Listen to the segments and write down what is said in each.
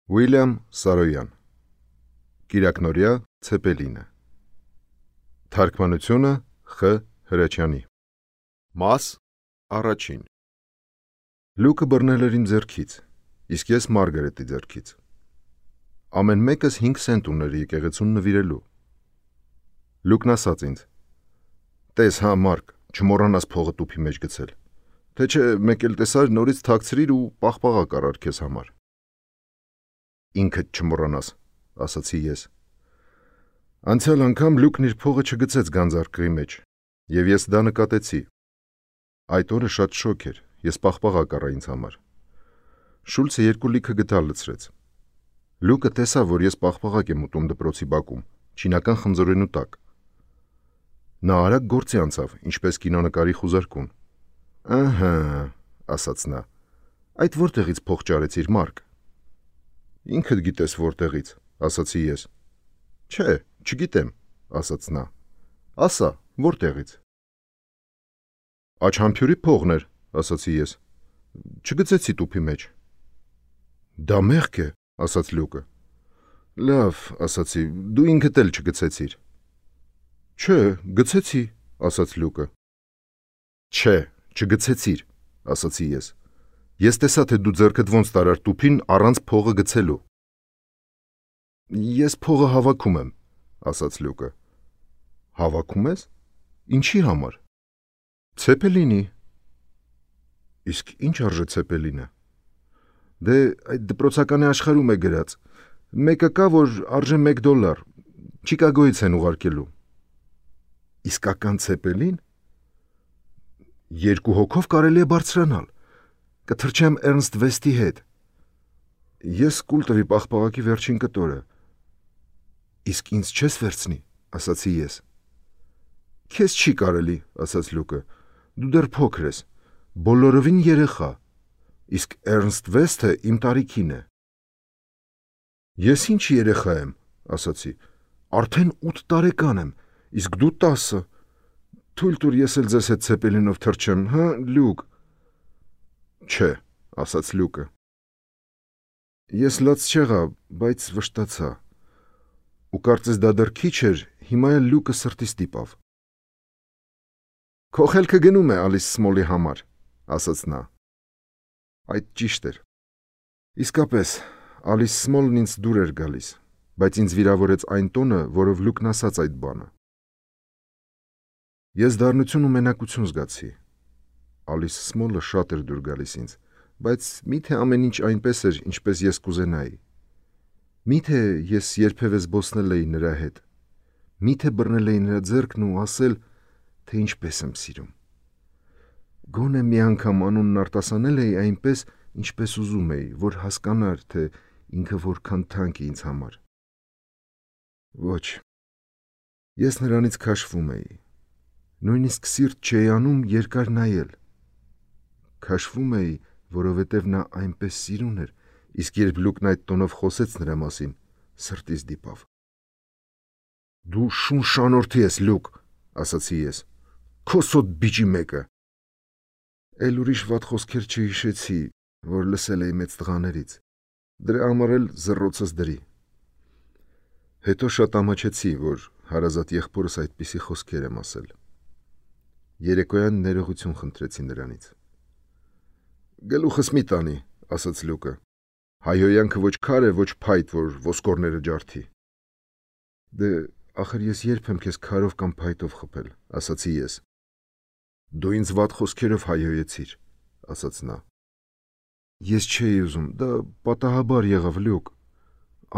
Ուիլյամ Սարոյան Կիրակնորյա Ցեպելինը Թարգմանությունը Խ. Հրաչյանի Մաս առաջին Լուկը բռնել էր իմ ձեռքից, իսկ ես Մարգարետի ձեռքից։ Ամեն մեկս 5 սենտ ուներ եկեղեցուն նվիրելու։ Լուկն ասաց ինձ. «Տես հա Մարկ, չմոռանաս փողը տուփի մեջ գցել, թե չէ մեկ էլ տեսար նորից թաքցրիր ու պաղպաղակ առար քեզ համար»։ Ինքդ չմոռանաս, ասացի ես։ Անցյալ անգամ Լուկն իր փողը չգցեց գանձարկղի մեջ, և ես դա նկատեցի։ Այդ օրը շատ շոգ էր, ես պաղպաղակ առա ինձ համար։ Շուլցը 2 լիքը գդալ լցրեց։ Լուկը տեսավ, որ ես պաղպաղակ եմ ուտում դպրոցի բակում, չինական խնձորենու տակ։ Նա արագ գործի անցավ, ինչպես կինոնկարի խուզարկուն։ «Ահա», ասաց նա, «այդ որտեղից փող ճարեցիր, Մարկ»։ «Ինքդ գիտես որտեղից», ասացի ես։ «Չէ, չգիտեմ», ասաց նա։ «Ասա, որտեղից»։ «Աչհամբյուրի փողն էր», ասացի ես։ «Չգցեցի տուփի մեջ»։ «Դա մեղք է», ասաց Լուկը։ «Լավ», ասացի, «դու ինքդ էլ չգցեցիր»։ «Չէ, գցեցի», ասաց Լուկը։ «Չէ, չգցեցիր», ասացի ես։ «Ես տեսա, թե դու ձեռքդ ոնց տարար տուփին առանց փողը գցելու»։ «Ես փողը հավաքում եմ», ասաց Լուկը։ «Հավաքում ես? Ինչի համար»։ «Ցեպելինի»։ «Իսկ ինչ արժե Ցեպելինը»։ «Դե այդ դպրոցականի աշխարհում է գրած, մեկը կա, որ արժե $1, Չիկագոյից են ուղարկելու»։ «Իսկական Ցեպելին»։ 2 հոգով կարելի է բարձրանալ, կթռչեմ Էրնստ Վեստի հետ։ Ես կուլ տվի պաղպաղակի վերջին կտորը։ «Իսկ ինձ չես վերցնի», ասացի ես։ «Քեզ չի կարելի», ասաց Լուկը, «դու դեռ փոքր ես, բոլորովին երեխա, իսկ Էրնստ Վեստը իմ տարիքին է»։ «Ես ինչ երեխա եմ», ասացի, «արդեն 8 տարեկան եմ, իսկ դու 10։ Թույլ տուր ես էլ ձեզ հետ Ցեպելինով թռչեմ, հա, Լուկ»։ «Չէ», ասաց Լուկը։ Ես լաց չեղա, բայց վշտացա։ Ու կարծես դա դեռ քիչ էր, հիմա էլ Լուկը սրտի ստիպավ։ «Քո խելքը գնում է Ալիս Սմոլի համար», ասաց նա։ Այդ ճիշտ էր։ Իսկապես, Ալիս Սմոլն ինձ դուր էր գալիս, բայց ինձ վիրավորեց այն տոնը, որով Լուկն ասաց այդ բանը։ Ես դառնություն ու մենակություն զգացի։ Ալիս Սմոլը շատ էր դուր գալիս ինձ, բայց միթե ամեն ինչ այնպես էր, ինչպես ես կուզենայի։ Միթե ես երբևէ զբոսնել էի նրա հետ։ Միթե բռնել էի նրա ձեռքն ու ասել, թե ինչպես եմ սիրում։ Գոնե մի անգամ անունն արտասանել էի այնպես, ինչպես ուզում էի, որ հասկանար, թե ինքը որքան թանկ է ինձ համար։ Ոչ, ես նրանից քաշվում էի։ Նույնիսկ սիրտ չէի անում երկար նայել։ Քաշվում էի, որովհետև նա այնպես սիրուն էր, իսկ երբ Լուկն այդ տոնով խոսեց նրա մասին, սրտիս դիպավ։ «Դու շուն շանորդի ես, Լուկ», ասացի ես, «քո սոտ բիճի մեկը»։ Էլ ուրիշ վատ խոսքեր չհիշեցի, որ լսել էի մեծ տղաներից, դրա համար էլ զռոցս դրի։ Հետո շատ ամաչեցի, որ հարազատ եղբորս այդպիսի խոսքեր եմ ասել։ Երեկոյան ներողություն խնդրեցի նրանից։ «Գլուխս մի տանի», ասաց Լուկը, «հայհոյանքը ոչ քար է, ոչ փայտ, որ ոսկորները ջարդի»։ «Դե, ախր ես երբ եմ քեզ քարով կամ փայտով խփել», ասացի ես։ «Դու ինձ վատ խոսքերով հայհոյեցիր», ասաց նա։ Ես չէի ուզում, դա պատահաբար եղավ, Լուկ։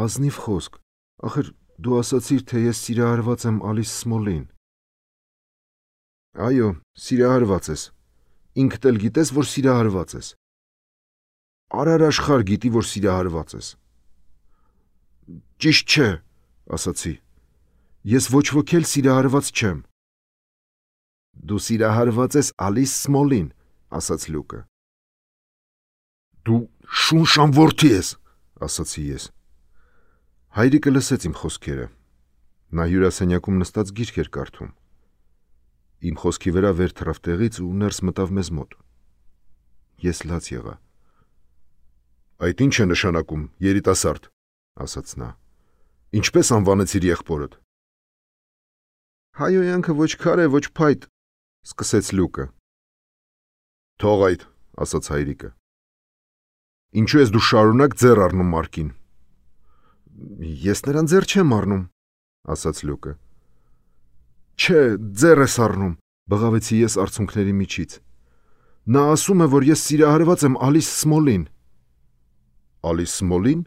Ազնիվ խոսք, ախր դու ասացիր, թե ես սիրահարված եմ Ալիս Սմոլին։ Այո, սիրահարված ես։ Ինքդ էլ գիտես, որ սիրահարված ես։ Արար աշխարհ գիտի, որ սիրահարված ես։ Ճիշտ չէ, ասացի։ Ես ոչ ոք էլ սիրահարված չեմ։ Դու սիրահարված ես Ալիս Սմոլին, ասաց Լուկը։ Դու շունշան որդի ես, ասացի ես։ Հայրիկը լսեց իմ խոսքերը։ Նա հյուրասենյակում նստած գիրք էր կարդում։ Իմ խոսքի վրա վեր թռավ տեղից ու ներս մտավ մեզ մոտ։ Ես լաց եղա։ Այդ ինչ է նշանակում, երիտասարդ, ասաց նա։ Ինչպես անվանեցիր եղբորդ։ Հայոյանքը ոչ քար է, ոչ փայտ, սկսեց Լուկը։ Թող այդ, ասաց հայրիկը։ Ինչու ես դու շարունակ ձեռ առնում Մարկին։ Ես նրան ձեռ չեմ առնում, ասաց Լուկը։ Չէ, ձեռ ես առնում, բղավեցի ես արցունքների միջից։ Նա ասում է, որ ես սիրահարված եմ Ալիս Սմոլին։ Ալիս Սմոլին,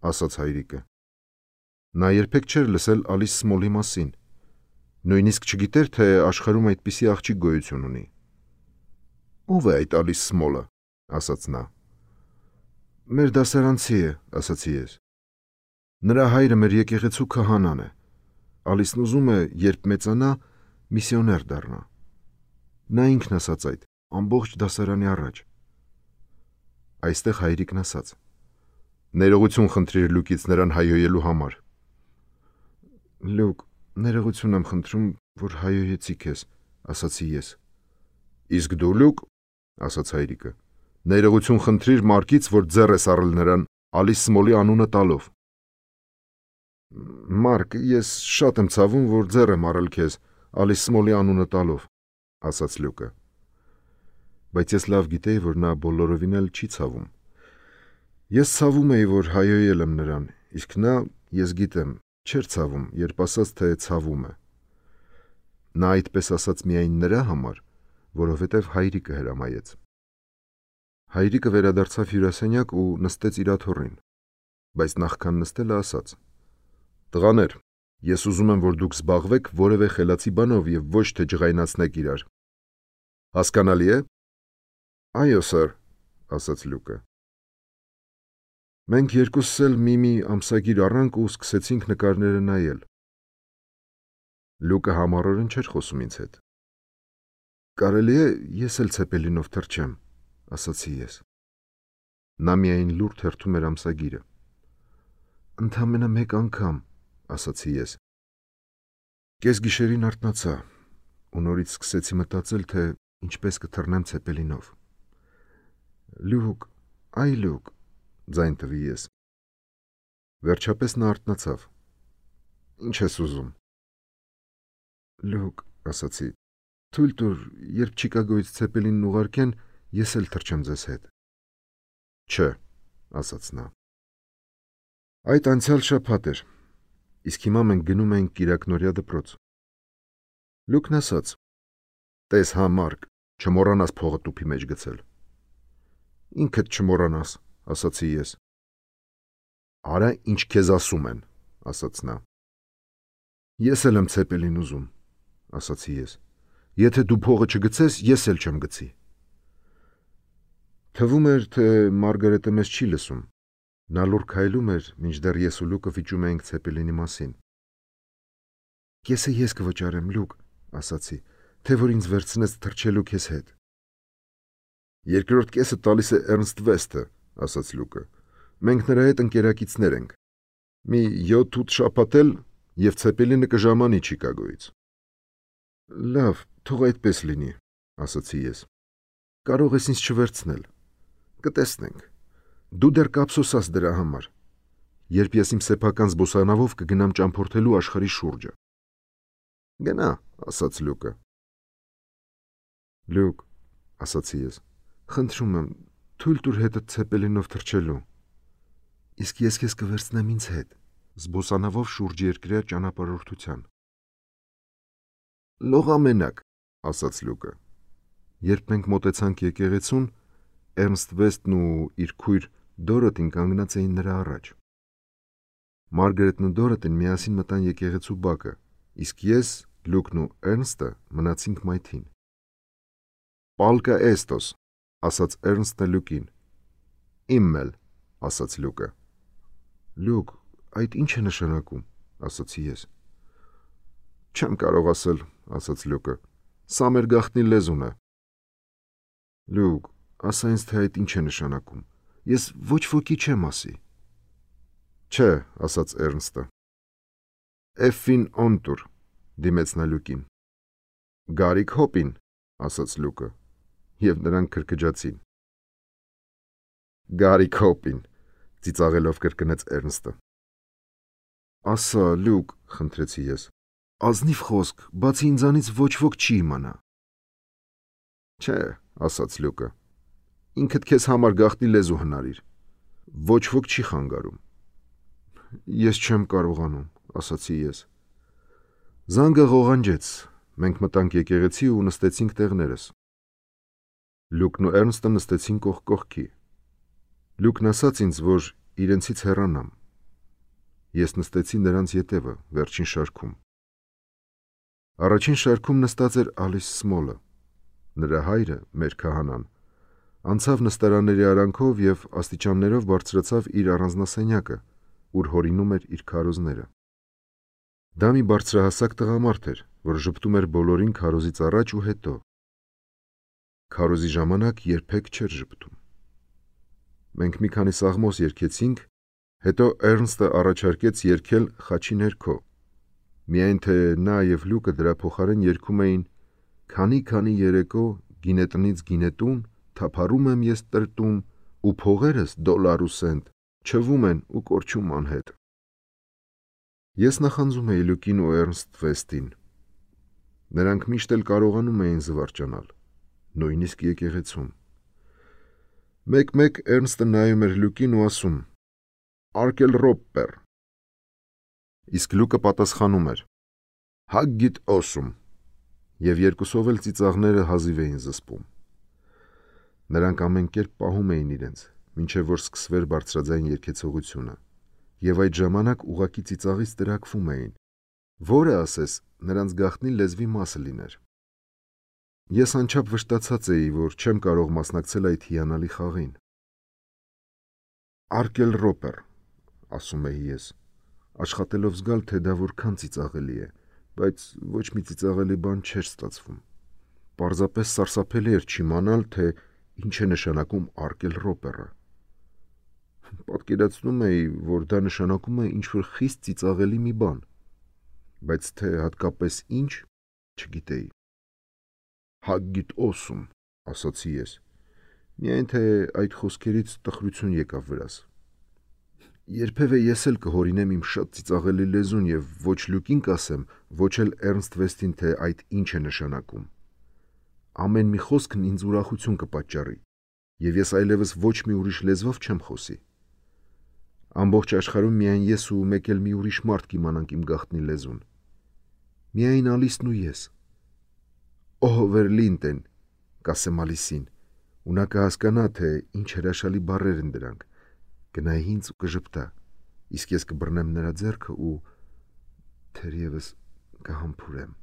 ասաց հայրիկը։ Նա երբեք չէր լսել Ալիս Սմոլի մասին։ Նույնիսկ չգիտեր, թե աշխարհում այդպիսի աղջիկ գոյություն ունի։ Ո՞վ է այդ Ալիս Սմոլը, ասաց նա։ Մեր դասարանցի է, ասացի ես։ Նրա հայրը մեր եկեղեցու քահանան է։ Ալիսն ուզում է, երբ մեծանա, միսիոներ դառնա։ Նա ինքն ասաց այդ, ամբողջ դասարանի առաջ։ Այստեղ հայրիկն ասաց. Ներողություն խնդրիր Լուկից նրան հայհոյելու համար։ Լուկ, ներողություն եմ խնդրում, որ հայհոյեցի քեզ, ասացի ես։ Իսկ դու Լուկ, ասաց հայրիկը, ներողություն խնդրիր Մարկից, որ ձեռ ես առել նրան Ալիս Սմոլի անունը տալով։ Մարկ, ես շատ եմ ցավում, որ ձեռ եմ առել քեզ Ալիս Սմոլի անունը տալով, ասաց Լուկը։ Բայց ես լավ գիտեի, որ նա բոլորովին էլ չի ցավում։ Ես ցավում էի, որ հայհոյել եմ նրան, իսկ նա, ես գիտեմ, չէր ցավում, երբ ասաց, թե ցավում է։ Նա այդպես ասաց միայն նրա համար, որովհետև հայրիկը հրամայեց։ Հայրիկը վերադարձավ հյուրասենյակ ու նստեց իր աթոռին, բայց նախքան նստելը ասաց. Տղաներ, ես ուզում եմ, որ դուք զբաղվեք որևէ խելացի բանով եւ ոչ թե ջղայնացնեք իրար։ Հասկանալի է։ Այո, սեր, ասաց Լուկը։ Մենք երկուսս էլ մի ամսագիր առանք ու սկսեցինք նկարները նայել։ Լուկը համառորեն չէր խոսում ինձ հետ։ Կարելի է ես էլ ցեպելինով թռչեմ, ասացի ես։ Նա միայն լուր թերթում էր ամսագիրը։ Ընդամենը մեկ անգամ, ասացի ես։ Կեսգիշերին արթնացա ու նորից սկսեցի մտածել, թե ինչպես կթռնեմ ցեպելինով։ Լուկ, այ Լուկ, ձայն տվի ես։ Վերջապես նա արթնացավ։ Ինչ ես ուզում։ Լուկ, ասացի, թույլ տուր, երբ Չիկագոյից ցեպելինն ուղարկեն, ես էլ թռչեմ ձեզ հետ։ Չէ, ասաց նա։ Այդ անցյալ շաբաթ էր, իսկ հիմա մենք գնում ենք կիրակնօրյա դպրոց։ Լուկն ասաց. Տես հա Մարկ, չմոռանաս փողը տուփի մեջ գցել։ Ինքդ չմոռանաս, ասացի ես։ Արա ինչ քեզ ասում են, ասաց նա։ Ես էլ եմ ցեպելին ուզում, ասացի ես։ Եթե դու փողը չգցես, ես էլ չեմ գցի։ Թվում էր, թե Մարգարետը մեզ չի լսում։ Նա լուր քայլում էր, մինչդեռ ես ու Լուկը վիճում էինք ցեպելինի մասին։ Կեսը ես կվճարեմ, Լուկ, ասացի, թե որ ինձ վերցնես թռչելու քեզ հետ։ Երկրորդ կեսը տալիս է Էրնստ Վեսթը, ասաց Լուկը։ Մենք նրա հետ ընկերակիցներ ենք։ Մի 7-8 շաբաթ էլ եւ ցեպելինը կժամանի Չիկագոյից։ Լավ, թող այդպես լինի, ասացի ես։ Կարող ես ինձ չվերցնել։ Կտեսնենք։ Դու դեռ կափսոսաս դրա համար։ Երբ ես իմ սեփական զբոսանավով կգնամ ճամփորդելու աշխարհի շուրջը։ Գնա, ասաց Լուկը։ Լուկ, ասացի ես, խնդրում եմ, թույլ տուր հետդ ցեպելինով թռչելու։ Իսկ ես քեզ կվերցնեմ ինձ հետ, զբոսանավով շուրջ երկրյա ճանապարհորդության։ Լողամենակ, ասաց Լուկը։ Երբ մենք մոտեցանք եկեղեցուն, Էրնստ Վեսթն ու իր քույր Դորոթին կանգնած էին նրա առաջ։ Մարգարետն ու Դորոթին միասին մտան եկեղեցու բակը, իսկ ես, Լուկն ու Էրնստը մնացինք մայթին։ Պալկա էստոս, ասաց Էրնստը Լուկին։ Իմն էլ, ասաց Լուկը։ Լուկ, այդ ինչ է նշանակում, ասացի ես։ Չեմ կարող ասել, ասաց Լուկը։ Սա մեր գաղտնի լեզուն է։ Լուկ, ասա ինձ, թե այդ ինչ է նշանակում։ Ես ոչ ոքի չեմ ասի։ Չէ, ասաց Էրնստը։ Էֆին օնտուր, դիմեց նա Լուկին։ Գարիկ հոպին, ասաց Լուկը, եւ նրանք քրքջացին։ Գարի Քոպին, ծիծաղելով կրկնեց Էրնստը։ Ասա, Լյուկ, խնդրեցի ես, ազնիվ խոսք, բացի ինձանից ոչ ոք չի իմանա։ Չէ, ասաց Լյուկը, ինքդ քեզ համար գաղտնի լեզու հնարիր, ոչ ոք չի խանգարում։ Ես չեմ կարողանում, ասացի ես։ Զանգը ղողանջեց, մենք մտանք եկեղեցի ու նստեցինք տեղներս։ Լյուկն ու Էրնստը նստեցին կողք կողքի։ Լյուկն ասաց ինձ, որ իրենցից հեռանամ։ Ես նստեցի նրանց ետևը, վերջին շարքում։ Առաջին շարքում նստած էր Ալիս Սմոլը, նրա հայրը, մեր քահանան, անցավ նստարանների արանքով և աստիճաններով բարձրացավ իր առանձնասենյակը, ուր հորինում էր իր քարոզները։ Դա մի բարձրահասակ տղամարդ էր, որ ժպտում էր բոլորին քարոզից առաջ ու հետո։ Քարոզի ժամանակ երբեք չէր ժպտում։ Մենք մի քանի սաղմոս երգեցինք, հետո Էրնստը առաջարկեց երգել խաչի ներքո, միայն թե նա և Լյուկը դրա փոխարեն երգում էին «Քանի երեկո գինետնից գինետուն, թափառում եմ ես տրտում, ու փողերս դոլար ու սենտ, չվում են ու կորչում անհետ»։ Ես նախանձում էի Լյուկին ու Էրնստ Վեստին։ Նրանք միշտ էլ կարողանում էին զվարճանալ, նույնիսկ եկեղեցում։ Մեկ-մեկ Էրնստը նայում էր Լյուկին ու ասում. «Արկել Ռոպպեր», իսկ Լյուկը պատասխանում էր. «Հագգիտ օսում», և երկուսով էլ ծիծաղները հազիվ էին զսպում։ Նրանք ամեն կերպ պահում էին իրենց, մինչև որ սկսվեր բարձրաձայն երգեցողությունը, և այդ ժամանակ ուղղակի ծիծաղից տրաքվում էին, որը, ասես, նրանց գաղտնի լեզվի մասը լիներ։ Ես անչափ վշտացած էի, որ չեմ կարող մասնակցել այդ հիանալի խաղին։ «Արկել Ռոպեր», ասում էի ես, աշխատելով զգալ, թե դա որքան ծիծաղելի է, բայց ոչ մի ծիծաղելի բան չէր ստացվում։ Պարզապես սարսափելի էր չիմանալ, թե ինչ է նշանակում արկել Ռոպերը։ Պատկերացնում էի, որ դա նշանակում է ինչ-որ խիստ ծիծաղելի մի բան, բայց թե հատկապես ինչ, չգիտեի։ «Հագգիտ օսում», ասացի ես, միայն թե այդ խոսքերից տխրություն եկավ վրաս։ Երբևէ ես էլ կհորինեմ իմ շատ ծիծաղելի լեզուն և ոչ Լյուկին կասեմ, ոչ էլ Էրնստ Վեստին, թե այդ ինչ է նշանակում։ Ամեն մի խոսքն ինձ ուրախություն կպատճառի, և ես այլևս ոչ մի ուրիշ լեզվով չեմ խոսի։ Ամբողջ աշխարհում միայն ես ու մեկ էլ մի ուրիշ մարդ կիմանանք իմ գաղտնի լեզուն։ Միայն Ալիսն ու ես։ «Օհ, Վերլինտեն», կասեմ Ալիսին, ու նա կհասկանա, թե ինչ հրաշալի բառեր են դրանք, կնայի ինձ ու կժպտա, իսկ ես կբռնեմ նրա ձեռքը ու թերևս կհամբուրեմ։